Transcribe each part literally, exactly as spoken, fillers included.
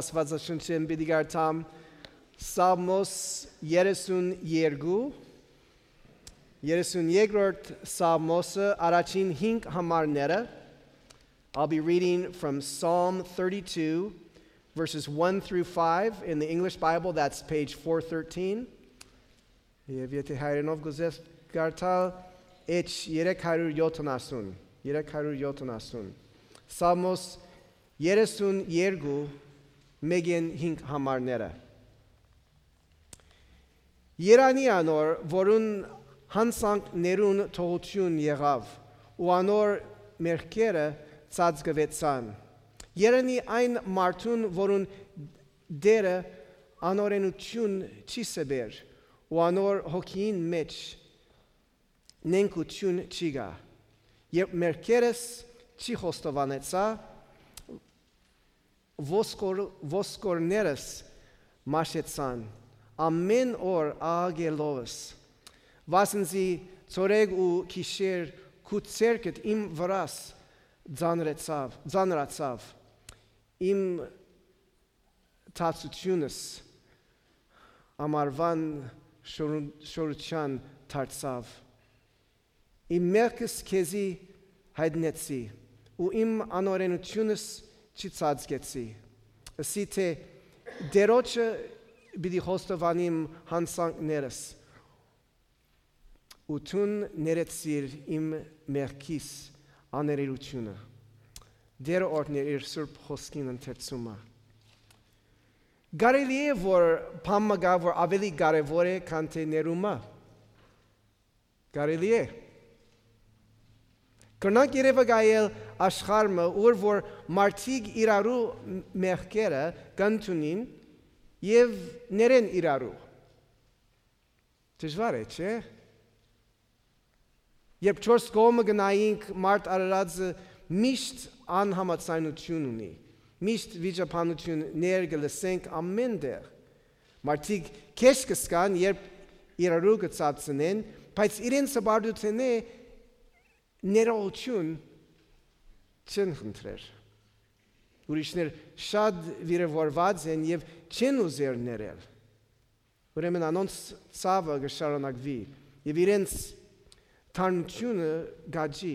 Աստուածաշունչէն պիտի կարդամ Սաղմոս երեսուն երկու, երեսուն երկրորդ Սաղմոսը, առաջին հինգ համարները։ I'll be reading from Psalm thirty-two, verses one through five. In the English Bible, that's page four thirteen. Եւ եթէ հայերէնով կ'ուզես կարդալ, էջ երեք հարիւր յոթանասուն, երեք հարիւր յոթանասուն։ Սաղմոս երեսուն երկու, մէկէն հինգ համարները։ Երանի անոր, որուն յանցանքներուն թողութիւն եղաւ, ու անոր մեղքերը ծածկուեցան։ Երանի այն մարդուն, որուն Տէրը անօրէնութիւն չի սպեր, ու անոր հոգիին մէջ նենգութիւն չի գայ, երբ մեղքերս չի խոստովանեցայ, ոսկոր-, ոսկորներս մաշեցան, ամէն օր աղաղելովս, վասն զի ցորեկ ու գիշեր քու ձեռքդ իմ վրաս ծանրեցաւ, ծանրացաւ, իմ թացութիւնս ամառուան շորու-, շորութեան դարձաւ։ Իմ մեղքս քեզի յայտնեցի, ու իմ անօրէնութիւնս չծածկեցի։ Ըսի թէ, Տէրոջը պիտի խոստովանիմ յանցանքներս, ու դուն ներեցիր իմ մեղքիս աներելութիւնը։ Տէրը օրհնէ իր սուրբ խօսքին ընթերցումը։ Կարելի՞ է, որ բան մը կայ, որ աւելի կարեւոր է, քան թէ ներումը։ Կարելի՞ է։ Կրնանք երեւակայել աշխարհ մը, ուր որ մարդիկ իրարու մեղքերը կ'ընդունին եւ ներեն իրարու։ Դժուար է, չէ՞։ Երբ չորս կողմը կը նայինք, մարդ արարածը միշտ անհամաձայնութիւն ունի, միշտ վիճաբանութիւններ կը լսենք ամէն տեղ։ Մարդիկ քեշ կը զգան, երբ իրարու կը ծածնեն, բայց իրենց հպարտութենէ ներողութիւն չեն խնդրեր։ Ուրիշներ շատ վիրաւորուած են եւ չեն ուզեր ներել։ Ուրեմն անոնց ցաւը կը շարունակուի եւ իրենց թարմութիւնը կ'աճի։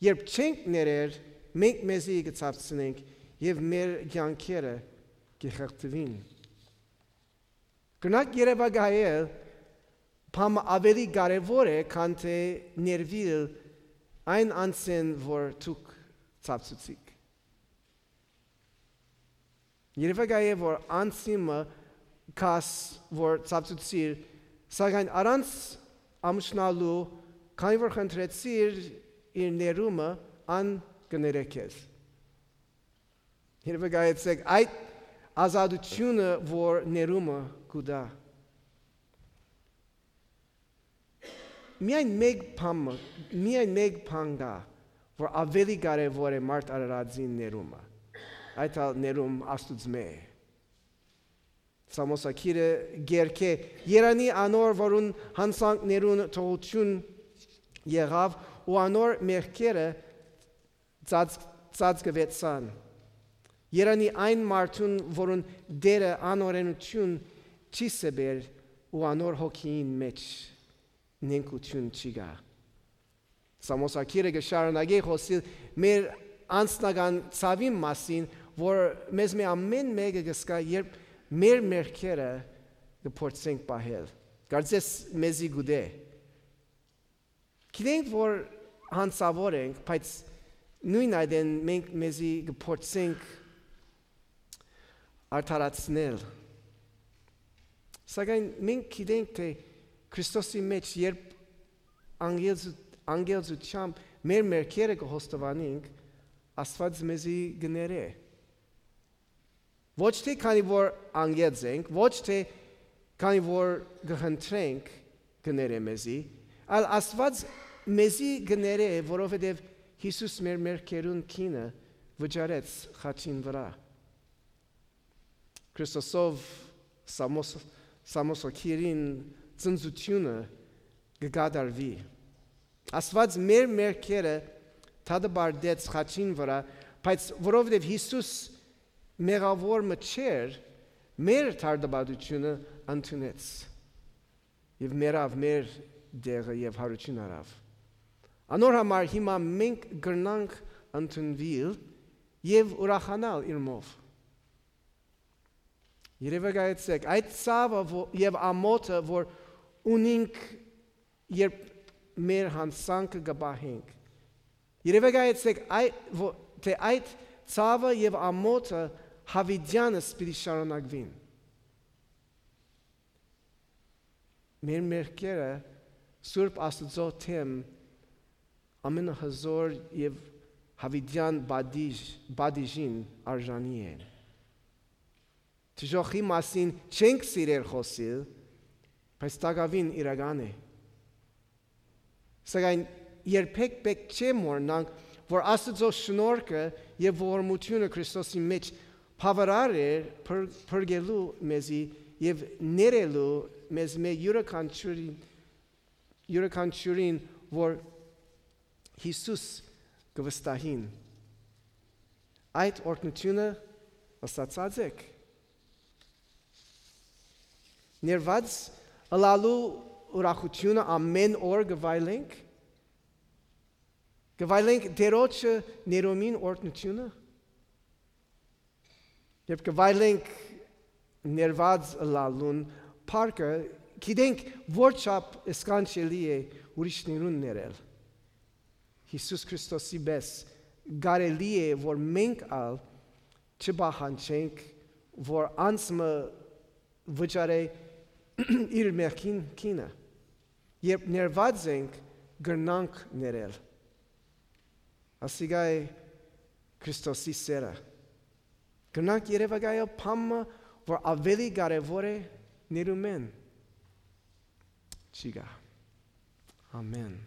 Երբ չենք ներեր, մենք մեզի կը ցածնենք եւ մեր կեանքերը կը խեղդուին։ Կրնանք երեւակայել, բան մը աւելի կարեւոր է, քան թէ ներուիլ այն անձէն, որ դուք ցածուցիք։ Երեւակայ է, որ անձի մը կաս, որ ցածուցիր, սակայն առանց ամուսնալու, քանի որ խնդրեցիր իր ներումը, ան կը ներէ քեզ։ Երեւակայեցէք այդ ազատութիւնը, որ ներումը կու տայ։ Միայն մէկ բան մը, միայն մէկ բան կայ, որ աւելի կարեւոր է մարդ արարածին ներումը։ Այդ ալ ներում Աստուծմէ է։ Սամոսագիրը կերգէ. «Երանի անոր, որուն յանցանքներուն թողութիւն եղաւ ու անոր մեղքերը ծած-, ծածկուեցան։ Երանի այն մարդուն, որուն Տէրը անօրէնութիւն չի սպեր ու անոր հոգիին մէջ նենգութիւն չի գայ»։ Սամոսագիրը կը շարունակէ խօսիլ մեր անձնական ցաւին մասին, որ մեզմէ ամէն մէկը կը զգայ, երբ մեր մեղքերը կը փորձենք պահել։ Կարծես մեզի գուտէ։ Գիտենք, որ յանցաւոր ենք, բայց նոյն այդէն մենք մեզի կը փորձենք արդարացնել։ Սակայն մենք գիտենք, թէ Քրիստոսի մէջ, երբ անգելձ-, անգելձութեամբ մեր մեղքերը կը խոստովանենք, Աստուած մեզի կը ներէ։ Ոչ թէ քանի որ անգելձ ենք, ոչ թէ քանի որ կը խնդրենք, կը ներէ մեզի, այլ Աստուած մեզի կը ներէ, որովհետեւ Յիսուս մեր մեղքերուն գինը վճարեց խաչին վրայ։ Քրիստոսով Սամոս-, Սամոսագիրին ծնծութիւնը կը կատարուի։ Աստուած մեր մեղքերը դատապարտեց խաչին վրայ, բայց որովհետեւ Յիսուս մեղաւոր մը չէր, մեր թարդապատությունը ընդունեց եւ մեռաւ մեր դեղը եւ յարութիւն առաւ։ Անոր համար հիմա մենք կրնանք ընդունուիլ եւ ուրախանալ իրմով։ Երեւակայեցէք, այդ ցաւը ո-, եւ ամոթը, որ ունինք, երբ մեր յանցանքը կը պահենք։ Երեւակայեցէք, այ-, ո-, թէ այդ ցաւը եւ ամոթը յաւիտեանս պիտի շարունակուին։ Մեր մեղքերը Սուրբ Աստուծոյ դէմ ամենահզօր եւ յաւիտեան պատիժ-, պատիժին արժանի են։ Դժոխքի մասին չենք սիրեր խօսիլ, բայց տակաւին իրական է։ Սակայն երբեք պէտք չէ մոռնանք, որ Աստուծոյ շնորհքը եւ ողորմութիւնը Քրիստոսի մէջ բաւարար էր փր-, փրկելու մեզի եւ ներելու մեզ մէ յուրաքանչիւրին, յուրաքանչիւրին, որ Յիսուս կը վստահին։ Այդ օրհնութիւնը վստահած եք։ Ներված ըլալու ուրախութիւնը ամէն օր կը վայելենք, կը վայելենք Տէրոջը ներումին օրհնութիւնը, երբ կը վայելենք ներված ըլալուն փառքը, գիտենք որչափ սքանչելի է ուրիշներուն ներել։ Յիսուս Քրիստոսի պէս կարելի է, որ մենք ալ չպահանջենք, որ անձ մը վճարէ իր մեղքին գինը։ Երբ ներված ենք, կրնանք ներել։ Ասիկա է Քրիստոսի սերը։ Կրնանք երեւակայել բան մը, որ աւելի կարեւոր է ներումէն։ Չի գա։ Ամեն։